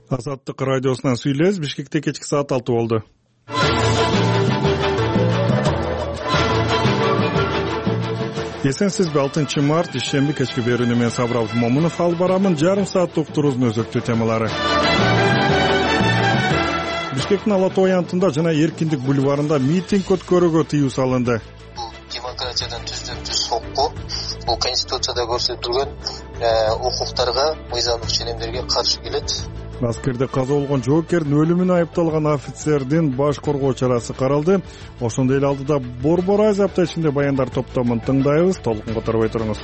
Азаттык радиосунан сүйлөбүз. Бишкекте кечки саат 6 болду. Эсенсизби? 6-март ишемби кечки берүүнү мен Сабыр Абдумомунов алып барамын. Жарым сааттык уктуруубуздун өзөктүү темалары. Бишкектин Ала Тоо аянтында жана Эркиндик бульварында митинг өткөрүүгө тыюу салынды. Бул демократиядан түздөн-түз сокку, бул конституцияда көрсөтүлгөн укуктарга, мыйзамдык ченемдерге каршы келет. Аскерде каза болгон жоокердин өлүмүнө айыпталган офицердин баш коргоо чарасы каралды. Ошондой эле алдыда Борбор Азия апта ичинде баяндар топтомун тыңдайбыз. Толук которбой туруңуз.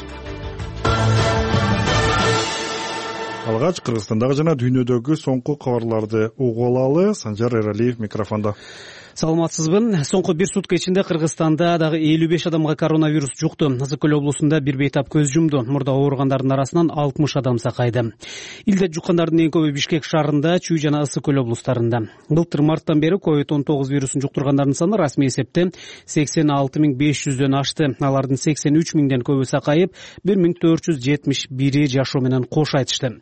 Алгач Кыргызстандагы жана дүйнөдөгү соңку кабарларды угуп алалы. Санжар Эралиев микрофондо. Саламатсызбы? Соңку бир сутка ичинде Кыргызстанда дагы 55 адамга коронавирус жукту. Ысык-Көл облусунда бир бейтап көз жумду. Мурда ооругандардын арасынан 60 адам сакайды. Илдет жуккандардын эң көбү Бишкек шаарында, Чүй жана Ысык-Көл облустарында. Былтыр марттан бери COVID-19 вирусун жуктургандардын саны расмий эсепте 86.500дөн ашты. Алардын 83 миңден көбү сакайып, 1471 жашоо менен кош айтышты.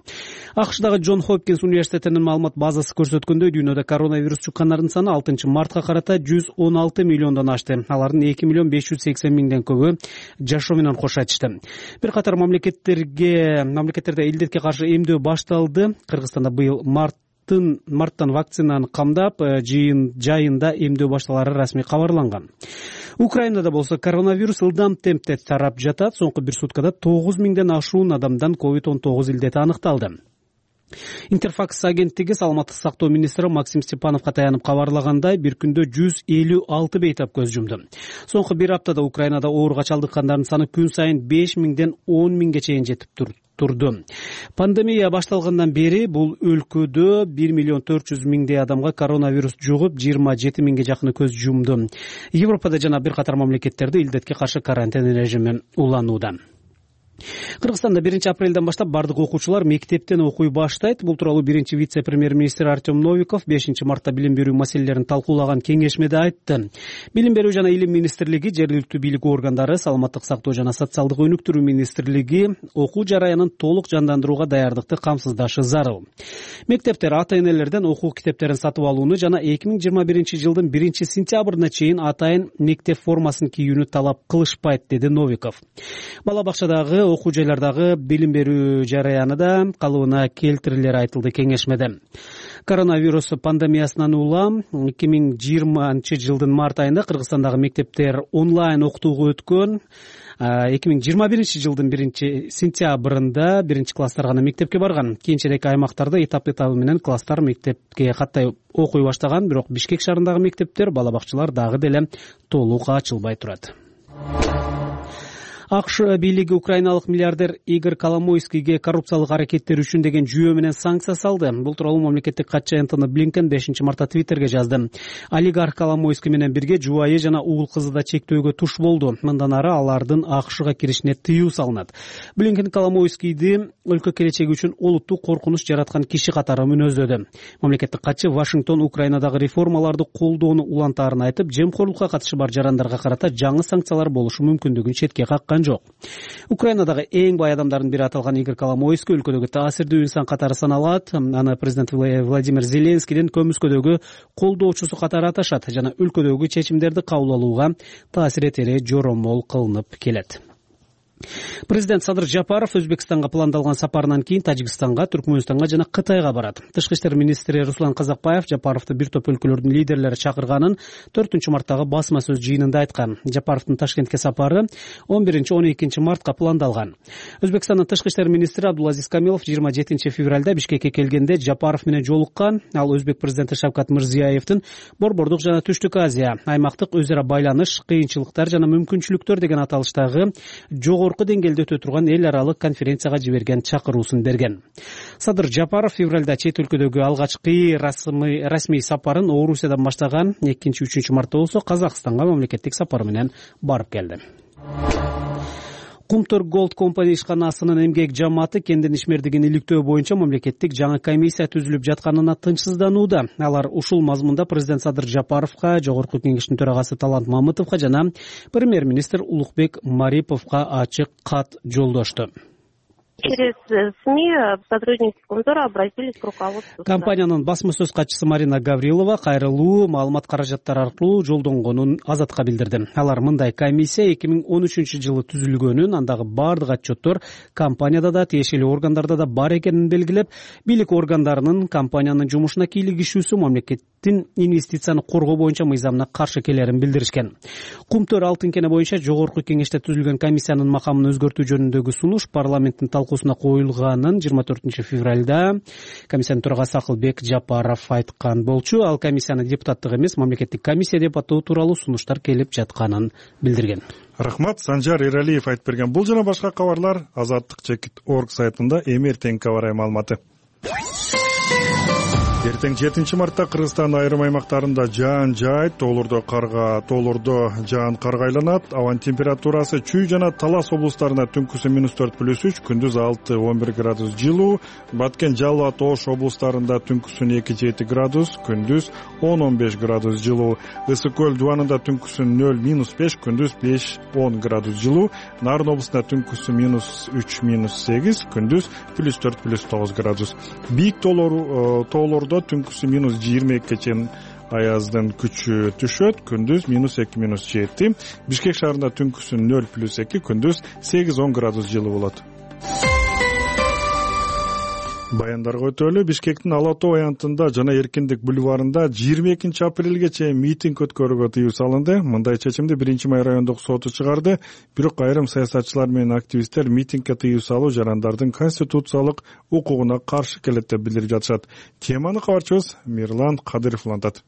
АКШдагы Джон Хопкинс университетинин маалымат базасы көрсөткөндөй, дүйнөдө коронавирус жуккандардын саны 6-мартка карата 116 миллиондон ашты. Алардын 2.580.000ден көбү жашоо менен кош айтышты. Бир катар мамлекеттерде илдетке каршы эмдөө башталды. Кыргызстанда быйыл марттан вакцинаны камдап, жайында эмдөө башталары расмий кабарланган. Украинада болсо коронавирус ылдам темпте тарап жатат. Соңку бир суткада 9 миңден ашуун адамдан COVID-19 илдети аныкталды. Интерфакс агенттиги саламаттык сактоо министри Максим Степановго таянып кабарлагандай, бир күндө 156 бейтап көз жумду. Соңку бир аптада Украинада ооруга чалдыккандардын саны күн сайын 5 миңден 10 миңге чейин жетип турду. Пандемия башталгандан бери бул өлкөдө 1.400.000 адамга коронавирус жугуп, 27 миңге жакыны көз жумду. Европада жана бир катар мамлекеттерде илдетке каршы карантин режими уланууда. Кыргызстанда 1-апрелден баштап бардык окуучулар мектептен окуй баштайт. Бул тууралуу биринчи вице-премьер-министр Артем Новиков 5-мартта билим берүү маселелерин талкуулаган кеңешмеде айтты. Билим берүү жана илим министрлиги, жергиликтүү бийлик органдары, саламаттык сактоо жана социалдык өнүктүрүү министрлиги окуу жараянын толук жандандырууга даярдыкты камсыздашы зарыл. Мектептер ата-энелерден окуу китептерин сатып алууну жана 2021-жылдын 1-сентябрына чейин атайын мектеп формасын кийүүнү талап кылышпайт, деди Новиков. Бала бакчадагы, окуу жайлардагы билим берүү жараянында калыбына келтирилери айтылды кеңешмеде. Коронавирус пандемиясынан улам 2020-жылдын март айында Кыргызстандагы мектептер онлайн окутууга өткөн. 2021-жылдын 1-сентябрында 1-класстар гана мектепке барган. Кийинчерээк аймактарда этап-этабы менен класстар мектепке каттай окуй баштаган, бирок Бишкек шаарындагы мектептер, бала бакчалар дагы деле толук ачылбай турат. АКШ бийлиги украиналык миллиардер Игорь Коломойскийге коррупциялык аракеттери үчүн деген жүйө менен санкция салды. Бул тууралуу мамлекеттик катчы Энтони Блинкен 5-мартта Твиттерге жазды. Олигарх Коломойский менен бирге жубайы жана уул кызы да чектөөгө туш болду. Мындан ары алардын АКШга киришине тыюу салынат. Блинкен Коломойскийди өлкө келечеги үчүн олуттуу коркунуч жараткан киши катары мүнөздөдү. Мамлекеттик катчы Вашингтон Украинадагы реформаларды колдоону улантаарын айтып, жемкорлукка катышы бар жарандарга карата жаңы санкциялар болушу мүмкүндүгүн четке каккан жок. Украинадагы эң бай адамдардын бири аталган Игорь Коломойский өлкөдөгү таасирдүү инсан катары саналат. Аны президент Владимир Зеленскийдин көмүскөдөгү колдоочусу катары аташат жана өлкөдөгү чечимдерди кабыл алууга таасир этери жоромол кылынып келет. Президент Садыр Жапаров Өзбекстанга пландалган сапарынан кийин Тажикстанга, Түркмөнстанга жана Кытайга барат. Тышкы иштер министри Руслан Казакбаев Жапаровду бир топ өлкөлөрдүн лидерлери чакырганын 4-мартагы басма сөз жыйынында айткан. Жапаровдун Ташкентке сапары 11-12 мартка пландалган. Өзбекстандын тышкы иштер министри Абдулазиз Камилов 27 февралда Бишкекке келгенде Жапаров менен жолуккан. Ал өзбек президенти Шавкат Мирзиёевдин Борбордук жана Түштүк Азия, аймактык өз ара байланыш, кыйынчылыктар жана мүмкүнчүлүктөр деген аталыштагы жогорку деңгээлде өтө турган эл аралык конференцияга жиберген чакыруусун берген. Садыр Жапаров февралда чет өлкөдөгү алгачкы расмий сапарын Орусиядан баштаган. 2-3 мартта болсо Казакстанга мамлекеттик сапар менен барып келди. Кумтөр Голд компания ишканасынын эмгек жамааты кендин ишмердигин иликтөө боюнча мамлекеттик жаңы комиссия түзүлүп жатканына тынчсызданууда. Алар ушул мазмунда президент Садыр Жапаровго, жогорку кеңештин төрагасы Талант Мамытовго жана премьер-министр Улукбек Мариповго ачык кат жолдошту. Через СМИ сотрудники Комзора обратились к руководству. Компаниянын басма сөз катчысы Марина Гаврилова кайрылуу маалымат каражаттары аркылуу жолдонгонун Азатка билдирди. Алар мындай комиссия 2013-жылы түзүлгөнүн, андагы бардык отчеттор компанияда да, тиешелүү органдарда да бар экенин белгилеп, бийлик органдарынын компаниянын жумушуна кийлигишүүсү мамлекеттин инвестицияны коргоо боюнча мыйзамына каршы келерин билдиришкен. Кумтөр алтын кене боюнча жогорку кеңеште түзүлгөн комиссиянын макамын өзгөртүү жөнүндөгү сунуш парламенттин талкуусуна коюлганын 24 февралда комиссиянын төрагасы Акылбек Жапаров айткан болчу. Ал комиссияны депутаттык эмес, мамлекеттик комиссия деп атоо тууралуу сунуштар келип жатканын билдирген. Рахмат, Санжар Эралиев айтып берген. Бул жана башка кабарлар azattik.org сайтында эми эртеңки кабар маалыматы. Эртең 7 мартта Кыргызстандын айрым аймактарында жаан жаайт, тоолордо жаан карга айланат. Абанын температурасы Чүй жана Талас облустарында түнкүсү -4+3, күндүз 6-11 градус жылуу. Баткен, Жалал абад, Ош облустарында түнкүсү 2-7 градус, күндүз 10-15 градус жылуу. Ысык көл дубанында түнкүсү 0-5, күндүз 5-10 градус жылуу. Нарын облусунда түнкүсү -3-8, күндүз +4+9 градус. Бийик тоолордо түнкүсү -22 чейин аяздын күчү түшөт, күндүз -2-7. Бишкек шаарында түнкүсү 0+2, күндүз 8-10 градус жылуу болот. Баяндарга өтөлү. Бишкектин Ала Тоо аянтында жана Эркиндик бульварында 22 апрелге чейин митинг өткөрүүгө тыюу салынды. Мындай чечимди 1-Май райондук соту чыгарды. Бирок айрым саясатчылар менен активисттер митингге тыюу салуу жарандардын конституциялык укугуна каршы келет деп билдирип жатышат. Теманы кабарчыбыз Мирлан Кадыров улантат.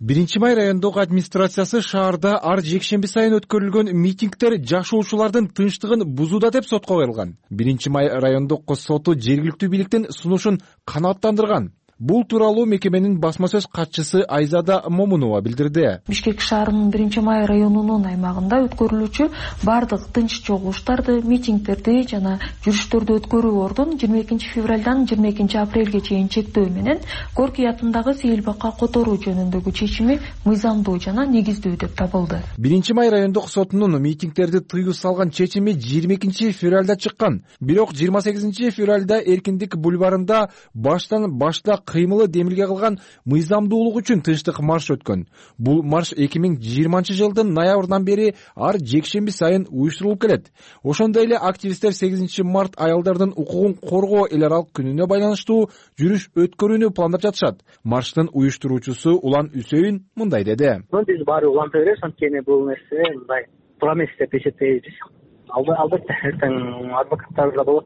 1-Май райондук администрациясы шаарда ар жекшемби сайын өткөрүлгөн митингдер жашоочулардын тынчтыгын бузууда деп сотко коюлган. 1-Май райондук соту жергиликтүү бийликтин сунушун канааттандырган. Бул тууралуу мекеменин басма сөз катчысы Айзада Момунова билдирди. Бишкек шаарынын 1-Май районунун аймагында өткөрүлүүчү бардык тынч чогулуштарды, митингдерди жана жүрүштөрдү өткөрүү ордун 22 февралдан 22 апрелге чейин чектөө менен Горький атындагы Сейилбакка которуу жөнүндөгү чечими мыйзамдуу жана негиздүү деп табылды. 1-Май райондук сотунун митингдерди тыюу салган чечими 22 февралда чыккан. Бирок 28 февралда Эркиндик бульварында баштан башта кыймылы демилге кылган мыйзамдуулук үчүн тынчтык марш өткөн. Бул марш 2020 жылдын ноябрынан бери ар жекшемби сайын уюштурулуп келет. Ошондой эле активисттер 8 март аялдардын укугун коргоо эл аралык күнүнө байланыштуу жүрүш өткөрүүнү пландап жатышат. Марштын уюштуруучусу Улан Үсөйүн мындай деди. Биз баары уланта беребиз, анткени бул нерсе мындай туура эмес деп эсептейбиз. Албетте эртең адвокаттар да болот.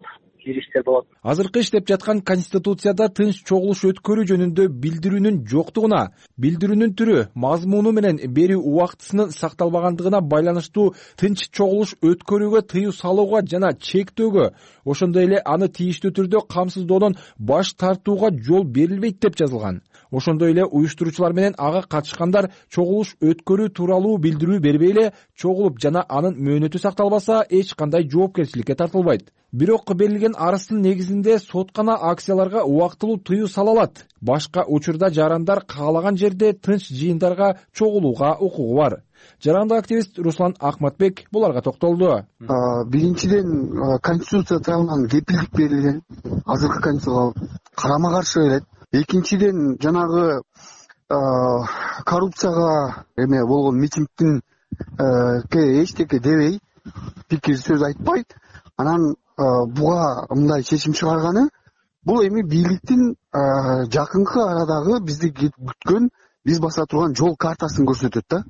Азыркы иштеп жаткан Конституцияда тынч чогулуш өткөрүү жөнүндө билдирүүнүн жоктугуна, билдирүүнүн түрү, мазмуну менен берүү убактысынын сакталбагандыгына байланыштуу тынч чогулуш өткөрүүгө тыюу салууга жана чектөөгө, ошондой эле аны тийиштүү түрдө камсыздоодон баш тартууга жол берилбейт деп жазылган. Ошондой эле уюштуруучулар менен ага катышкандар чогулуш өткөрүү тууралуу билдирүү бербей эле чогулуп жана анын мөөнөтү сакталбаса эч кандай жоопкерчиликке тартылбайт. Бирок берилген арыздын негизинде соткана акцияларга убактылуу тыюу сала алат. Башка учурда жарандар каалаган жерде тынч жыйындарга чогулууга укугу бар. Жарандык активист Руслан Акматбек буларга токтолду. Биринчиден, Конституция тарабынан кепилдик берилген. Азыркы Конституцияга карама каршы келет. Экинчиден, жанагы коррупцияга эме болгон митингдин эчтеке дебей, пикир сөз айтпайт. Анан буга мындай чечим чыгарганы бул эми бийликтин жакынкы арадагы бизди күткөн, биз баса турган жол картасын көрсөтөт да.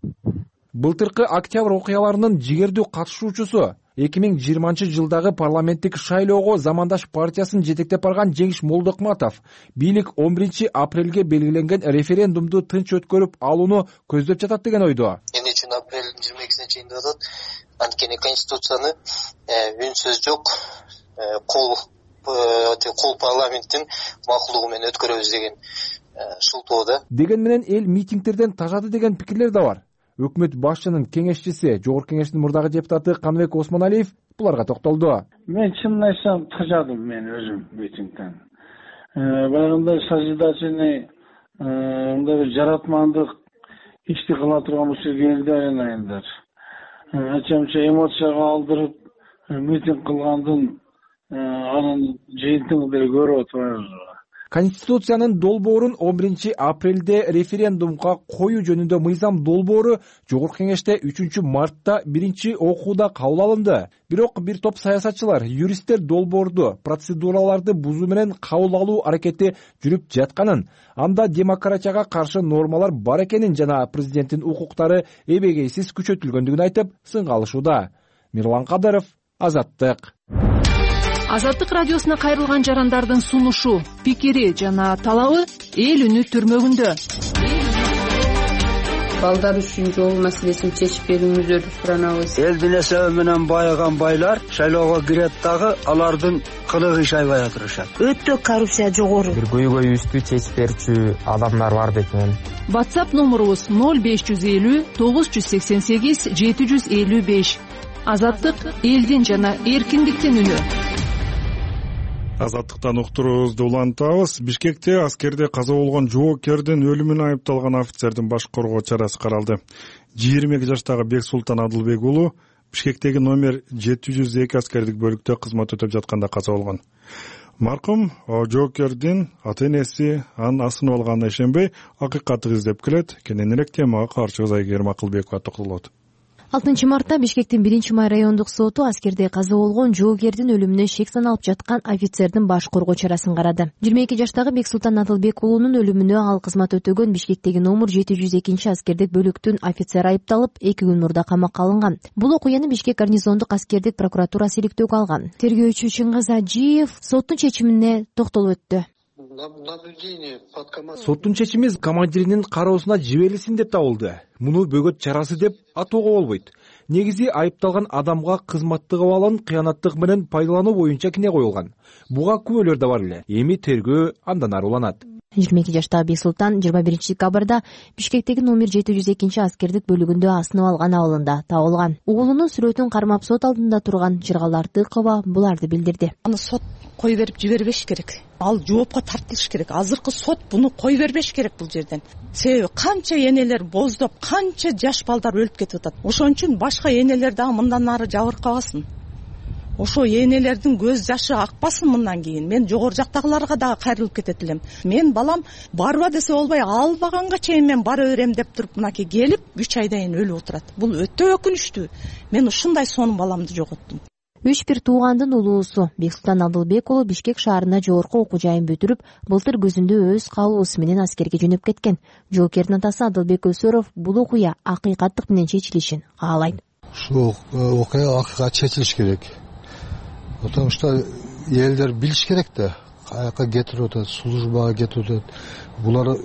Былтыркы октябрь окуяларынын жигердүү катышуучусу 2020 жылдагы парламенттик шайлоого Замандаш партиясын жетектеп барган Жеңиш Молдокматов бийлик 11 апрелге белгиленген референдумду тынч өткөрүп алууну көздөп жатат деген ойдо. Эмне үчүн апрелдин 22 чейин деп атат? Анткени Конституцияны үнсөз жок, кол парламенттин макулдугу менен өткөрөбүз деген шылтоо да. Деген менен эл митингдерден тажады деген пикирлер да бар. Өкмөт башчынын кеңешчиси, Жогорку Кеңештин мурдагы депутаты Каныбек Осмоналиев буларга токтолду. Мен чынын айтсам тажадым мен өзүм митингден. Баягындай созидательный, мындай бир жаратмандык ишти кыла турган болсо келди айылдар. Ачамча эмоцияга алдырып митинг кылгандын анын жыйынтыгын деле көрүп отурабыз. Конституциянын долбоорун 11 апрелде референдумга коюу жөнүндө мыйзам долбоору Жогорку Кеңеште 3 мартта биринчи окууда кабыл алынды. Бирок бир топ саясатчылар, юристтер долбоорду процедураларды бузуу менен кабыл алуу аракети жүрүп жатканын, анда демократияга каршы нормалар бар экенин жана президенттин укуктары эбегейсиз күчөтүлгөндүгүн айтып сынга алышууда. Мирлан Кадыров, Азаттык. Азаттык радиосуна кайрылган жарандардын сунушу, пикири жана талабы эл үнү түрмөгүндө. Балдар үчүн жол маселесин чечип берүүңүздөрдү суранабыз. Элдин эсеби менен байыган байлар шайлоого кирет дагы алардын кылыгы иш айбай атышат. Өтө коррупция жогору. Бир көйгөйүбүздү чечип берчү адамдар бар бекен. WhatsApp номурубуз 0550 988 755. Азаттык элдин жана эркиндиктин үнү. Азаттыктан уктуруубузду улантабыз. Бишкекте аскерде каза болгон жоокердин өлүмүнө айыпталган офицердин баш коргоо чарасы каралды. 22 жаштагы Бексултан Адылбек уулу Бишкектеги номер 702 аскердик бөлүктө кызмат өтөп жатканда каза болгон. Маркум жоокердин ата-энеси анын асынып алганына ишенбей, акыйкатты издеп келет. Кененирээк темага каршыбыз Айгерим Акылбекова токтолот. 6 мартта Бишкектин 1-май райондук соту аскерде каза болгон жоокердин өлүмүнө шек саналып жаткан офицердин баш коргоо чарасын карады. 22 жаштагы Бексултан Адылбек уулунун өлүмүнө ал кызмат өтөгөн Бишкектеги номер 702 аскердик бөлүктүн офицери айыпталып, 2 күн мурда камакка алынган. Бул окуяны Бишкек гарнизондук аскердик прокуратурасы иликтөөгө алган. Тергөөчү Чыңгыз Ажиев соттун чечимине токтолуп өттү. Соттун чечими командиринин кароосуна жиберилсин деп табылды. Муну бөгөт чарасы деп атоого болбойт. Негизи айыпталган адамга кызматтык абалын кыянаттык менен пайдалануу боюнча кине коюлган. Буга күбөлөр да бар эле. Эми тергөө андан ары уланат. 22 жаштагы Бексултан 21 декабрда Бишкектеги номер 702 аскердик бөлүгүндө асынып алган абалында табылган. Уулунун сүрөтүн кармап сот алдында турган Жыргал Артыкова буларды билдирди. Аны сот кой берип жибербеш керек. Ал жоопко тартылыш керек. Азыркы сот буну кой бербеш керек бул жерден. Себеби канча энелер боздоп, канча жаш балдар өлүп кетип атат. Ошон үчүн башка энелер дагы мындан ары жабыркабасын. Ошо энелердин көз жашы акпасын мындан кийин. Мен жогору жактагыларга дагы кайрылып кетет элем. Мен балам барба десе болбой, албаганга чейин мен бара берем деп туруп мынакей келип 3 айдан кийин өлүп отурат. Бул өтө өкүнүчтүү. Мен ушундай сонун баламды жоготтум. 3 бир туугандын улуусу Бексултан Адылбек уулу Бишкек шаарына жогорку окуу жайын бүтүрүп, былтыр күзүндө өз каалоосу менен аскерге жөнөп кеткен. Жоокердин атасы Адылбек Өсөров бул окуя акыйкаттык менен чечилишин каалайт. Ушул окуя акыйкат чечилиш керек. Потому что элдер билиш керек да, каяка кетип атат, службага кетип атат. Булар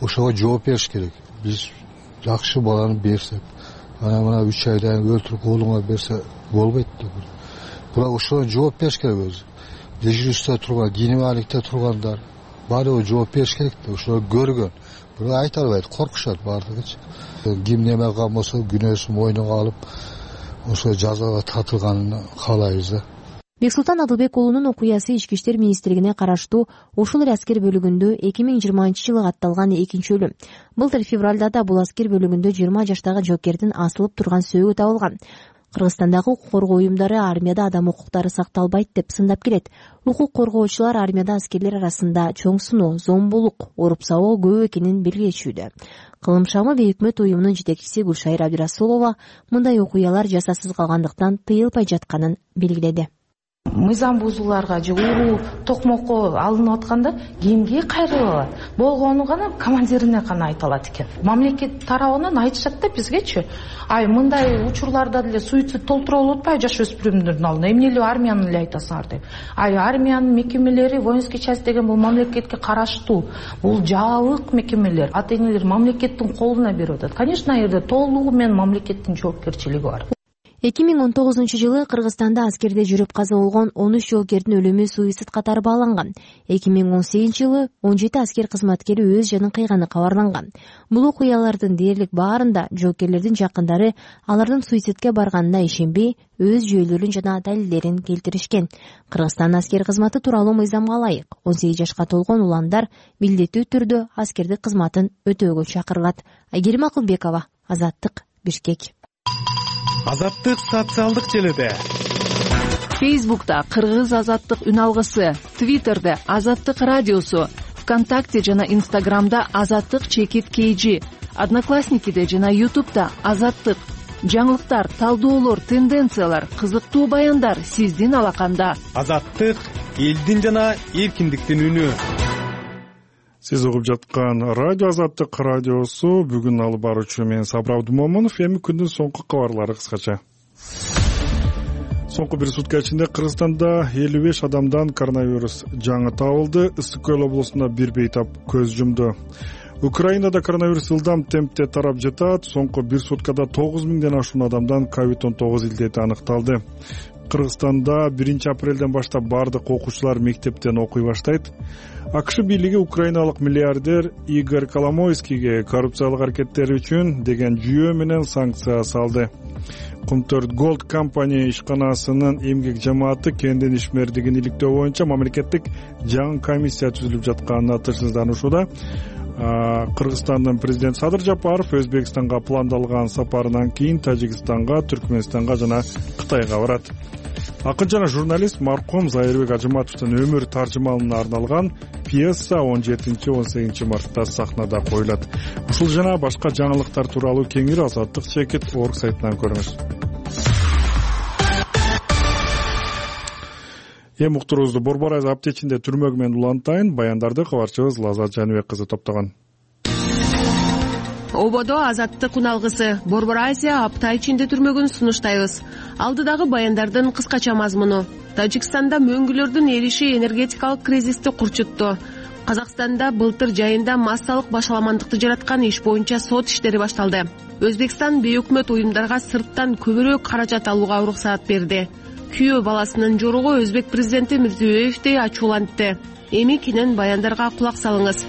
ошого жооп бериш керек. Биз жакшы баланы берсек, мына 3 айдан өлтүрүп уулуңа берсе болбойт да. Булар ошого жооп бериш керек өзү. Дежурствода турган, генералдыкта тургандар баары жооп бериш керек да, ошолор көргөн. Бирок айта албайт, коркушат баардыгычы. Ким неме кылган болсо күнөөсүн мойнуна алып, ошо жазага тартылганын каалайбыз да. Бексултан Адылбек уулунун окуясы Ички иштер министрлигине караштуу ушул эле аскер бөлүгүндө 2020-жылы катталган экинчи өлүм. Былтыр февралда да бул аскер бөлүгүндө 20 жаштагы жоокердин асылып турган сөөгү табылган. Кыргызстандагы укук коргоо уюмдары армияда адам укуктары сакталбайт деп сындап келет. Укук коргоочулар армияда аскерлер арасында чоң суноо, зомбулук, уруп сабоо көп экенин белгилешүүдө. Кылым шамы өкмөт уюмунун жетекчиси Гүлшайыр Абдырасулова мындай окуялар жасасыз калгандыктан тыйылбай жатканын белгиледи. Мыйзам бузууларга же уруу токмокко алынып атканда кимге кайрылып алат? Болгону гана командирине гана айта алат экен. Мамлекет тарабынан айтышат да бизгечи. Мындай учурларда деле суицид толтура болуп атпайбы жаш өспүрүмдөрдүн алдында? Эмне эле армиянын эле айтасыңар деп. Армиянын мекемелери, воинский часть деген бул мамлекетке караштуу. Бул жабык мекемелер. Ата-энелер мамлекеттин колуна берип атат. Конечно, жерде толугу менен мамлекеттин жоопкерчилиги бар. 2019-жылы Кыргызстанда аскерде жүрүп каза болгон 13 жоокердин өлүмү суицид катары бааланган. 2018-жылы 17 аскер кызматкери өз жанын кыйганы кабарланган. Бул окуялардын дээрлик баарында жоокерлердин жакындары алардын суицидке барганына ишенбей, өз жүйөлөрүн жана далилдерин келтиришкен. Кыргызстан аскер кызматы тууралуу мыйзамга ылайык 18 жашка толгон уландар милдеттүү түрдө аскердик кызматын өтөөгө чакырылат. Айгерим Акылбекова, Азаттык, Бишкек. Азаттык социалдык желеде. Фейсбукта Кыргыз азаттык үн алгысы, Твиттерде Азаттык радиосу, ВКонтакте жана Инстаграмда Азаттык _KG, Одноклассникиде жана Ютубда Азаттык. Жаңылыктар, талдоолор, тенденциялар, кызыктуу баяндар сиздин алаканда. Азаттык — элдин жана эркиндиктин үнү. Сиз угуп жаткан радио Азаттык радиосу. Бүгүн алып баруучу мен Сабыр Абдумомунов. Эми күндүн соңку кабарлары кыскача. Соңку бир сутка ичинде Кыргызстанда 55 адамдан коронавирус жаңы табылды. Ысык Көл облусунда бир бейтап көз жумду. Украинада коронавирус ылдам темпте тарап жатат. Соңку бир суткада 9000ден ашуун адамдан COVID-19 илдети аныкталды. Кыргызстанда 1 апрелден баштап бардык окуучулар мектептен окуй баштайт. АКШ бийлиги украиналык миллиардер Игорь Коломойскийге коррупциялык аракеттери үчүн деген жүйө менен санкция салды. Comtort Gold компания ишканасынын эмгек жамааты кендин ишмердигин иликтөө боюнча мамлекеттик жаңы комиссия түзүлүп жатканына тынчсызданууда. Кыргызстандын президенти Садыр Жапаров Өзбекстанга пландалган сапарынан кийин Тажикстанга, Түркмөнстанга жана Кытайга барат. Акын жана журналист маркум Зайырбек Ажыматовдун өмүр таржымалына арналган пьеса 17-18 мартта сахнада коюлат. Ушул жана башка жаңылыктар тууралуу кеңири Азаттык _org сайтынан көрүңүз. Эми уктуруубузду Борбор Азия аптечинде түрмөгү менен улантайын. Баяндарды кабарчыбыз Лазат Жаныбек кызы топтогон. Ободо Азаттык үн алгысы Борбор Азия апта ичинде түрмөгүн сунуштайбыз. Алдыдагы баяндардын кыскача мазмуну. Тажикстанда мөңгүлөрдүн эриши энергетикалык кризисти курчутту. Казакстанда былтыр жайында массалык башаламандыкты жараткан иш боюнча сот иштери башталды. Өзбекстан бейөкмөт уюмдарга сырттан көбүрөөк каражат алууга уруксаат берди. Күйөө баласынын жоругу Өзбек президенти Мирзиёевди ачуулантты. Эми кенен баяндарга кулак салыңыз.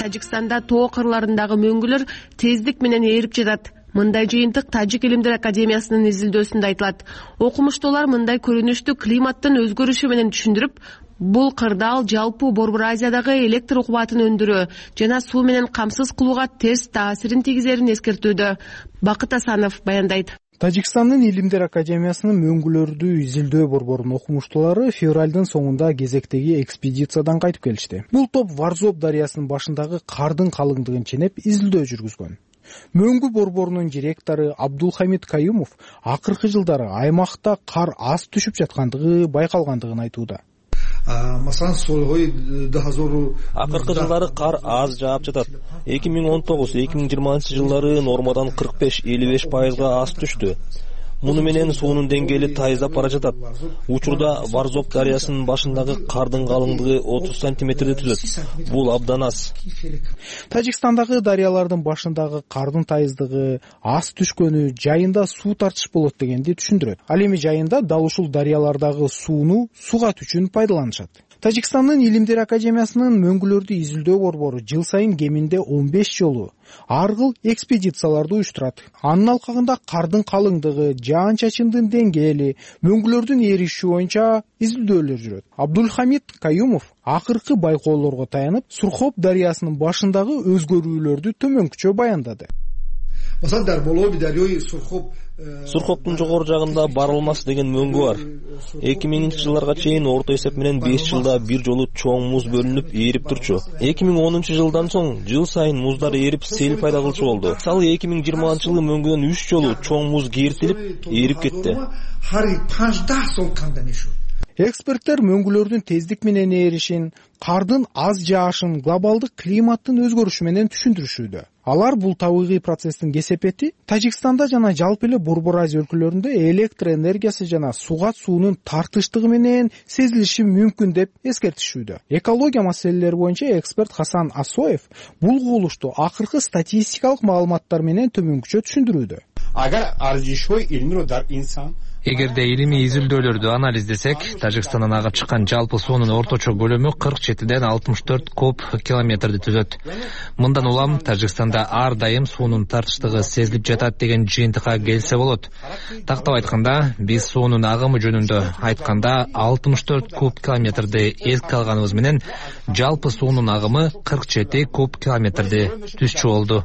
Тажикстанда тоо кырларындагы мөңгүлөр тездик менен ээрип жатат. Мындай жыйынтык Тажик илимдер академиясынын изилдөөсүндө айтылат. Окумуштуулар мындай көрүнүштү климаттын өзгөрүшү менен түшүндүрүп, бул кырдаал жалпы Борбор Азиядагы электр кубатын өндүрүү жана суу менен камсыз кылууга терс таасирин тийгизерин эскертүүдө. Бакыт Асанов баяндайт. Тажикстандын илимдер академиясынын мөңгүлөрдү изилдөө борборунун окумуштуулары февралдын соңунда кезектеги экспедициядан кайтып келишти. Бул топ Варзоп дарыясынын башындагы кардын калыңдыгын ченеп изилдөө жүргүзгөн. Мөңгү борборунун директору Абдулхамид Каюмов акыркы жылдары аймакта кар аз түшүп жаткандыгы байкалгандыгын айтууда. Акыркы жылдары кар аз жаап жатат. 2019-2020 жылдары нормадан 45-55% аз түштү. Муну менен суунун деңгээли тайыздап бара жатат. Учурда Варзоп дарыясынын башындагы кардын калыңдыгы 30 сантиметрди түзөт. Бул абдан аз. Тажикстандагы дарыялардын башындагы кардын тайыздыгы аз түшкөнү жайында суу тартыш болот дегенди түшүндүрөт. Ал эми жайында дал ушул дарыялардагы сууну сугат үчүн пайдаланышат. Тажикстандын илимдер академиясынын мөңгүлөрдү изилдөө борбору жыл сайын кеминде 15 жолу ар кыл экспедицияларды уюштурат. Анын алкагында кардын калыңдыгы, жаан-чачындын деңгээли, мөңгүлөрдүн эриши боюнча изилдөөлөр жүрөт. Абдулхамид Каюмов акыркы байкоолорго таянып, Сурхоп дарыясынын башындагы өзгөрүүлөрдү төмөнкүчө баяндады. Сурхоптун жогору жагында Барылмас деген мөңгү бар. 2000 жылдарга чейин орто эсеп менен 5 жылда бир жолу чоң муз бөлүнүп ээрип турчу. 2010 жылдан соң жыл сайын муздар ээрип сел пайда кылчу болду. Мисалы 2020 жылы мөңгүдөн 3 жолу чоң муз кертилип ээрип кетти. Эксперттер мөңгүлөрдүн тездик менен ээришин, кардын аз жаашын глобалдык климаттын өзгөрүшү менен түшүндүрүшүүдө. Алар бул табигый процесстин кесепети Тажикстанда жана жалпы эле Борбор Азия өлкөлөрүндө электр энергиясы жана сугат суунун тартыштыгы менен сезилиши мүмкүн деп эскертишүүдө. Экология маселелери боюнча эксперт Хасан Асоев бул кубулушту акыркы статистикалык маалыматтар менен төмөнкүчө түшүндүрүүдө. Эгерде илимий изилдөөлөрдү анализдесек, Тажикстандан агып чыккан жалпы суунун орточо көлөмү 47ден 64 куб километрди түзөт. Мындан улам Тажикстанда ар дайым суунун тартыштыгы сезилип жатат деген жыйынтыкка келсе болот. Тактап айтканда, биз суунун агымы жөнүндө айтканда 64 куб километрди эске алганыбыз менен жалпы суунун агымы 47 куб километрди түзчү болду.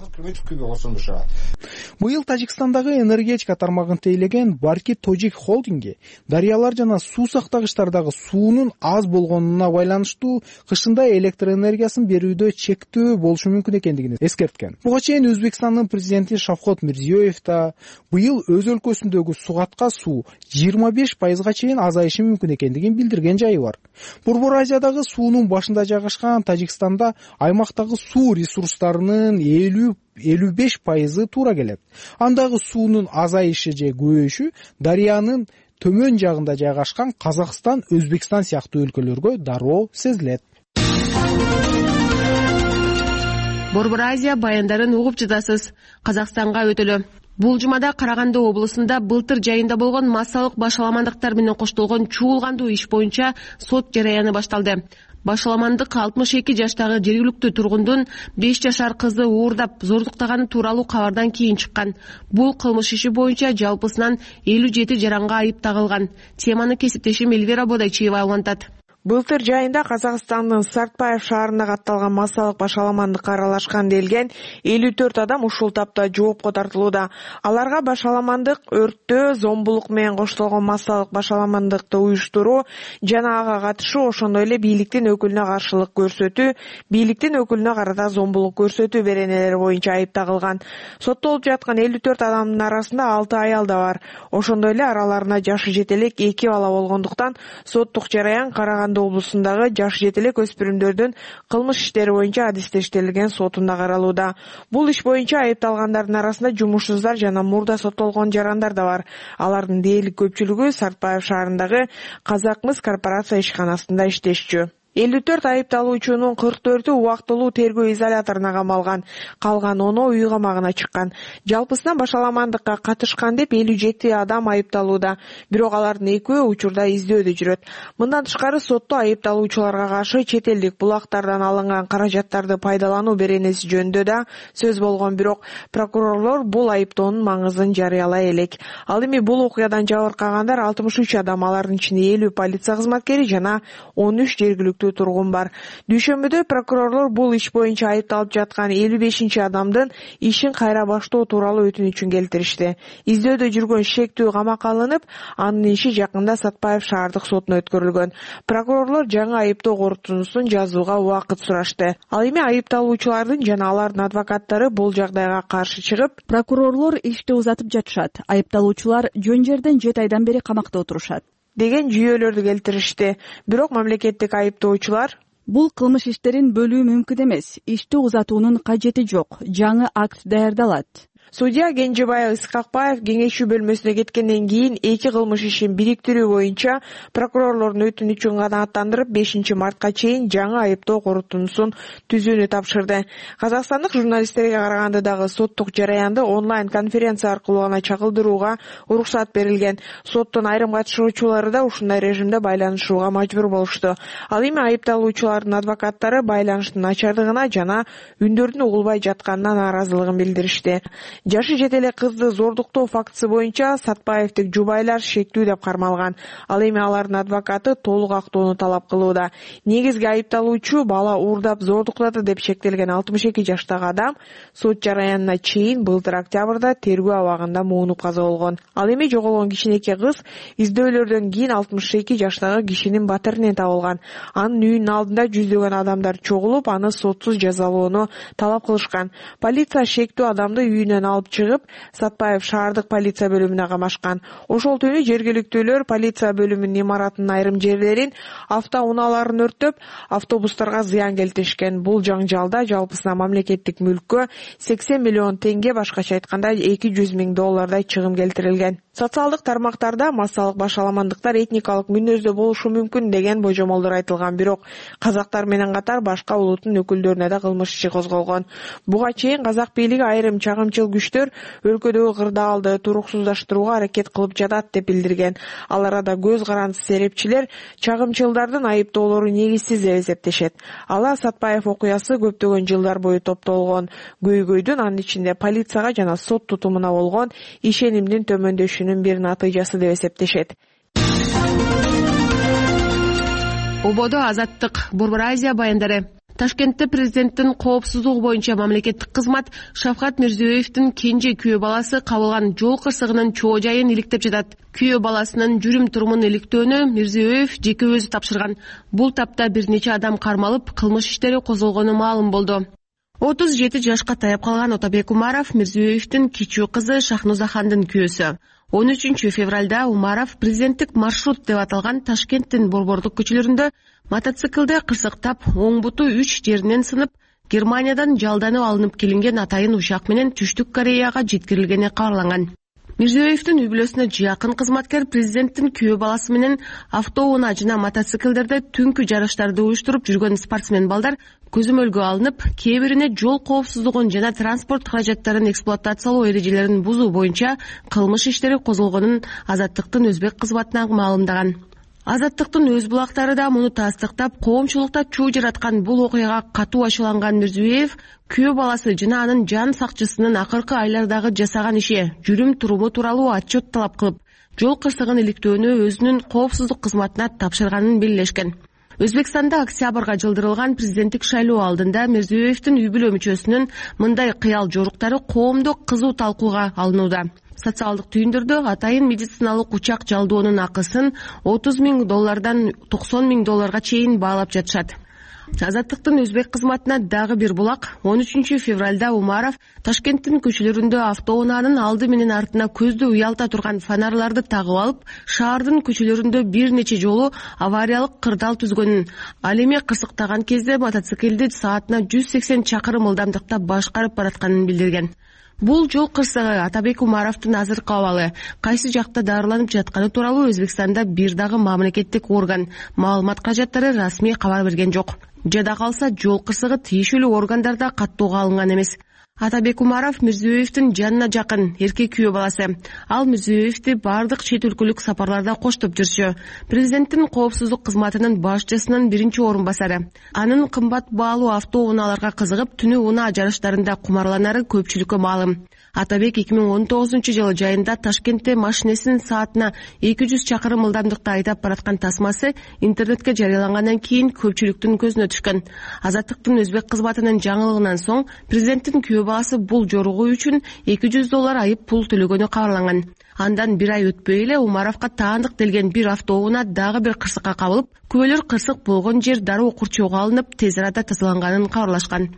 Быйыл Тажикстандагы энергетика тармагын тейлеген Барки Тожик стратегик холдинги дарыялар жана суу сактагычтардагы суунун аз болгонуна байланыштуу кышында электр энергиясын берүүдө чектөө болушу мүмкүн экендигин эскерткен. Буга чейин Өзбекстандын президенти Шавкат Мирзиёев да быйыл өз өлкөсүндөгү сугатка суу 25%га чейин азайышы мүмкүн экендигин билдирген жайы бар. Борбор Азиядагы суунун башында жайгашкан Тажикстанда аймактагы суу ресурстарынын 50-55% туура келет. Андагы суунун азайышы же көбөйүшү дарыянын төмөн жагында жайгашкан Казакстан, Өзбекстан сыяктуу өлкөлөргө дароо сезилет. Борбор Азия баяндарын угуп жатасыз. Казакстанга өтөлү. Бул жумада Караганды облусунда былтыр жайында болгон массалык башаламандыктар менен коштолгон чуулгандуу иш боюнча сот жараяны башталды. Башаламандык 62 жаштагы жергиликтүү тургундун 5 жашар кызы уурдап зордуктаганы тууралуу кабардан кийин чыккан. Бул кылмыш иши боюнча жалпысынан 57 жаранга айып тагылган. Теманы кесиптешим Эльвира Бодайчиева улантат. Былтыр жайында Казакстандын Сартбаев шаарында катталган массалык башаламандыкка аралашкан делген 54 адам ушул тапта жоопко тартылууда. Аларга башаламандык, өрттөө, зомбулук менен коштолгон массалык башаламандыкты уюштуруу жана ага катышуу, ошондой эле бийликтин өкүлүнө каршылык көрсөтүү, бийликтин өкүлүнө карата зомбулук көрсөтүү беренелери боюнча айып тагылган. Соттолуп жаткан 54 адамдын арасында 6 аял да бар. Ошондой эле араларында жашы жете элек 2 бала болгондуктан соттук жараян Караганды облусундагы жаш жетелек өспүрүмдөрдүн кылмыш иштери боюнча адистештирилген сотунда каралууда. Бул иш боюнча айыпталгандардын арасында жумушсуздар жана мурда соттолгон жарандар да бар. Алардын дээрлик көпчүлүгү Сартбаев шаарындагы Казакмыс корпорация ишканасында иштешчү. 54 айыпталуучунун 44-ü убактылуу тергөө изоляторуна камалган, калган 10-у үй камагына чыккан. Жалпысынан башаламандыкка катышкан деп 57 адам айыпталууда, бирок алардын 2-өө учурда издөөдө жүрөт. Мындан тышкары сотто айыпталуучуларга каршы чет элдик булактардан алынган каражаттарды пайдалануу беренеси жөнүндө да сөз болгон, бирок прокурорлор бул айыптоонун маңызын жарыялай элек. Ал эми бул окуядан жабыркагандар 63 адам, алардын ичинде 50 полиция кызматкери жана 13 жергиликтүү тургун бар. Дүйшөмбүдө прокурорлор бул иш боюнча айыпталып жаткан 55 адамдын ишин кайра баштоо тууралуу өтүнүчүн келтиришти. Издөөдө жүргөн шектүү камакка алынып, анын иши жакында Сатпаев шаардык сотуна өткөрүлгөн. Прокурорлор жаңы айыптоо корутундусун жазууга убакыт сурашты. Ал эми айыпталуучулардын жана алардын адвокаттары бул жагдайга каршы чыгып, прокурорлор ишти узатып жатышат. Айыпталуучулар жөн жерден 7 айдан бери камакта отурушат деген жүйөлөрдү келтиришти. Бирок мамлекеттик айыптоочулар бул кылмыш иштерин бөлүү мүмкүн эмес. Ишти узатуунун кажети жок. Жаңы акт даярдалат. Судья Кенжебаев Исқақбаев кеңешүү бөлмөсүнө кеткенден кийин эки кылмыш ишин бириктирүү боюнча прокурорлордун өтүнүчүн канааттандырып 5 мартка чейин жаңы айыптоо корутундусун түзүүнү тапшырды. Казакстандык журналисттерге караганда дагы соттук жараянды онлайн конференция аркылуу гана чагылдырууга уруксат берилген. Соттун айрым катышуучулары да ушундай режимде байланышууга мажбур болушту. Ал эми айыпталуучулардын адвокаттары байланыштын начардыгына жана үндөрдүн угулбай жатканына нааразылыгын билдиришти. Жашы жете элек кызды зордуктоо фактысы боюнча Сатпаевдик жубайлар шектүү деп кармалган. Ал эми алардын адвокаты толук актоону талап кылууда. Негизги айыпталуучу бала уурдап зордуктады деп шектелген 62 жаштагы адам сот жараянына чейин былтыр октябрда тергөө абагында муунуп каза болгон. Ал эми жоголгон кичинекей кыз издөөлөрдөн кийин 62 жаштагы кишинин батиринен табылган. Анын үйүнүн алдында жүздөгөн адамдар чогулуп, аны сотсуз жазалоону талап кылышкан. Полиция шектүү адамды үйүнөн алып чыгып, Сатпаев шаардык полиция бөлүмүнө камашкан. Ошол түнү жергиликтүүлөр полиция бөлүмүнүн имаратынын айрым жерлерин, автоунааларын өрттөп, автобустарга зыян келтиришкен. Бул жаңжалда жалпысына мамлекеттик мүлккө 80 миллион теңге, башкача айтканда $200 000 чыгым келтирилген. Социалдык тармактарда массалык башаламандыктар этникалык мүнөздө болушу мүмкүн деген божомолдор айтылган, бирок казактар менен катар башка улуттун өкүлдөрүнө да кылмыш иши козголгон. Буга чейин казак бийлиги айрым чагымчыл күчтөр өлкөдөгү кырдаалды туруксуздаштырууга аракет кылып жатат деп билдирген. Ал арада көз карандысыз серепчилер чагымчылдардын айыптоолору негизсиз деп эсептешет. Ала Сатпаев окуясы көптөгөн жылдар бою топтолгон көйгөйдүн, анын ичинде полицияга жана сот тутумуна болгон ишенимдин төмөндөшүнүн бир натыйжасы деп эсептешет. Ободо Азаттык, Борбор Азия баяндары. Ташкентте президенттин коопсуздугу боюнча мамлекеттик кызмат Шавкат Мирзиёевдин кенже күйөө баласы кабылган жол кырсыгынын чоо жайын иликтеп жатат. Күйөө баласынын жүрүм-турумун иликтөөнү Мирзиёев жеке өзү тапшырган. Бул тапта бир нече адам кармалып, кылмыш иштери козголгону маалым болду. 37 жашка таяп калган Отобек Умаров Мирзиёевдин кичүү кызы Шахнузахандын күйөөсү. 13 февралда Умаров президенттик маршрут деп аталган Ташкенттин борбордук көчөлөрүндө мотоциклде кырсыктап, оң буту 3 жеринен сынып, Германиядан жалданып алынып келинген атайын учак менен Түштүк Кореяга жеткирилгени кабарланган. Мирзиёевдин үй-бүлөсүнө жакын кызматкер президенттин күйөө баласы менен автоунаа жана мотоциклдерде түнкү жарыштарды уюштуруп жүргөн спортсмен балдар көзөмөлгө алынып, кээ бирине жол коопсуздугун жана транспорт каражаттарын эксплуатациялоо эрежелерин бузуу боюнча кылмыш иштери козголгонун Азаттыктын өзбек кызматына маалымдаган. Азаттыктын өз булактары да муну тастыктап, коомчулукта чуу жараткан бул окуяга катуу ачууланган Мирзиёев күйөө баласы жана анын жан сакчысынын акыркы айлардагы жасаган иши, жүрүм-туруму тууралуу отчет талап кылып, жол кырсыгын иликтөөнү өзүнүн коопсуздук кызматына тапшырганын белгилешкен. Өзбекстанда октябрга жылдырылган президенттик шайлоо алдында Мирзиёевдин үй-бүлө мүчөсүнүн мындай кыял жоруктары коомдо кызуу талкууга алынууда. Социалдык түйүндөрдө атайын медициналык учак жалдоонун акысын $30,000 $90,000 чейин баалап жатышат. Азаттыктын өзбек кызматына дагы бир булак. 13 февралда Умаров Ташкенттин көчөлөрүндө автоунаанын алды менен артына көздү уялта турган фонарларды тагып алып, шаардын көчөлөрүндө бир нече жолу авариялык кырдаал түзгөнүн, ал эми кырсыктаган кезде мотоциклди саатына 180 чакырым ылдамдыкта башкарып баратканын билдирген. Бул жол кырсыгы Отобек Умаровдун азыркы абалы, кайсы жакта дарыланып жатканы тууралуу Өзбекстанда бир дагы мамлекеттик орган маалымат каражаттары расмий кабар берген жок. Жада калса жол кырсыгы тиешелүү органдарда каттоого алынган эмес. Отобек Умаров Мирзиёевдин жанына жакын эркек күйөө баласы. Ал Мирзиёевди бардык чет өлкөлүк сапарларда коштоп жүрчү. Президенттин коопсуздук кызматынын башчысынын биринчи орун басары. Анын кымбат баалуу автоунааларга кызыгып, түнү унаа жарыштарында кумарланары көпчүлүккө маалым. Отобек 2019-жылы жайында Ташкентте машинесин саатына 200 чакырым ылдамдыкта айдап бараткан тасмасы интернетке жарыялангандан кийин көпчүлүктүн көзүнө түшкөн. Азаттыктын өзбек кызматынын жаңылыгынан соң президенттин күйөө баласы бул жоругу үчүн $200 айып пул төлөгөнү кабарланган. Андан бир ай өтпөй эле Умаровго таандык делген бир автоунаа дагы бир кырсыкка кабылып, күбөлөр кырсык болгон жер дароо курчоого алынып, тез арада тазаланганын кабарлашкан.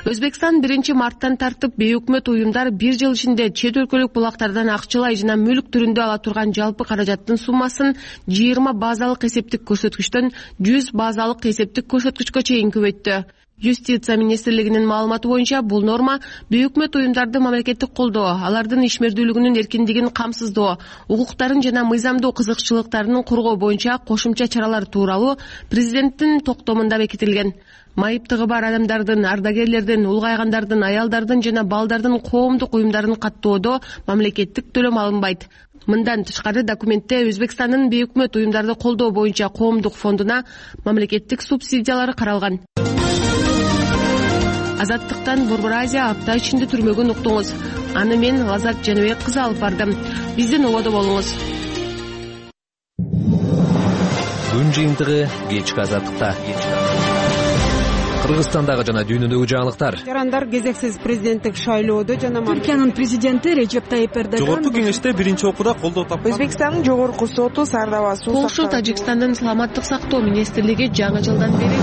Өзбекстан 1 марттан тартып бейөкмөт уюмдар бир жыл ичинде чет өлкөлүк булактардан акчалай жана мүлк түрүндө ала турган жалпы каражаттын суммасын 20 базалык эсептик көрсөткүчтөн 100 базалык эсептик көрсөткүчкө чейин көбөйттү. Юстиция министрлигинин маалыматы боюнча бул норма бейөкмөт уюмдарды мамлекеттик колдоо, алардын ишмердүүлүгүнүн эркиндигин камсыздоо, укуктарын жана мыйзамдуу кызыкчылыктарын коргоо боюнча кошумча чаралар тууралуу президенттин токтомунда бекитилген. Майыптыгы бар адамдардын, ардагерлердин, улгайгандардын, аялдардын жана балдардын коомдук уюмдарын каттоодо мамлекеттик төлөм алынбайт. Мындан тышкары документте Өзбекстандын бейөкмөт уюмдарды колдоо боюнча коомдук фондуна мамлекеттик субсидиялары каралган. Азаттыктан Борбор Азия апта ичинде түрмөгүн уктуңуз. Аны мен Лазат Жаныбек кызы алып бардым. Бизден ободо болуңуз. Күн жыйынтыгы кечки Азаттыкта. Кыргызстандагы жана дүйнөдөгү жаңылыктар. Жарандар кезексиз президенттик шайлоодо жана Түркиянын президенти Режеп Тайип Эрдоган жогорку кеңеште биринчи окууда колдоо тапкан. Өзбекстандын жогорку соту Сардаба суу Полша Тажикстандын саламаттык сактоо министрлиги жаңы жылдан бери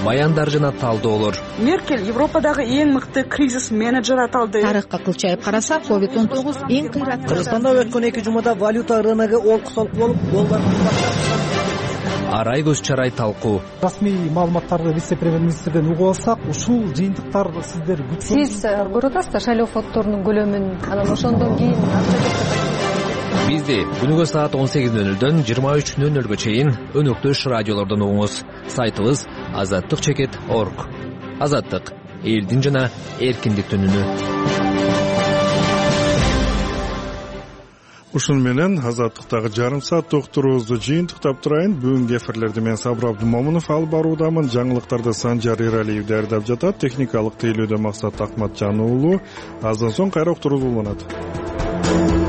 баяндар жана талдоолор. Меркель Европадагы эң мыкты кризис менеджер аталды. Тарыхка кылчайып карасак, COVID-19 эң кыйрат. Кыргызстанда өткөн 2 жумада валюта рыногу олкусолуп болуп, доллар арай көз чарай талкуу. Расмий маалыматтарды вице-премьер-министрден угуп алсак, ушул жыйынтыктар сиздер күткөн. Сиз көрүп атасыздар шайлоо фонддорунун көлөмүн, анан ошондон кийин Бизди күнүгө саат 18:00-дөн 23:00-гө чейин өнөктөш радиолордон угуңуз. Сайтыбыз azattik.org. Азаттык — элдин жана эркиндиктин үнү. Ушун менен Азаттыктагы жарым сааттык уктуруубузду жыйынтыктап турайын. Бүгүнкү эфирлерди мен Сабыр Абдумомунов алып баруудамын. Жаңылыктарды Санжар Иралиев даярдап жатат. Техникалык тейлөөдө Максат Акматжан уулу. Аздан соң кайра уктуруубуз уланат.